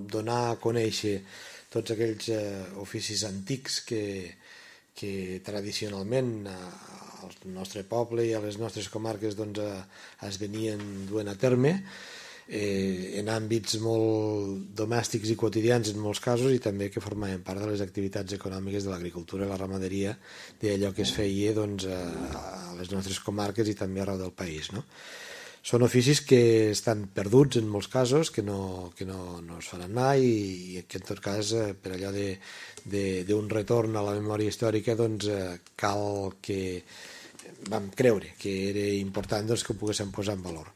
donar a conèixer tots aquells oficis antics que tradicionalment al nostre poble i a les nostres comarques es venien duent a terme en àmbits molt domèstics i quotidians en molts casos, i també que formaven part de les activitats econòmiques de l'agricultura i la ramaderia, d'allò que es feia a les nostres comarques i també arreu del país, no? Són oficis que estan perduts en molts casos, que no es faran mai, i que en tot cas per allò d'un retorn a la memòria històrica cal que vam creure que era important que ho poguéssim posar en valor.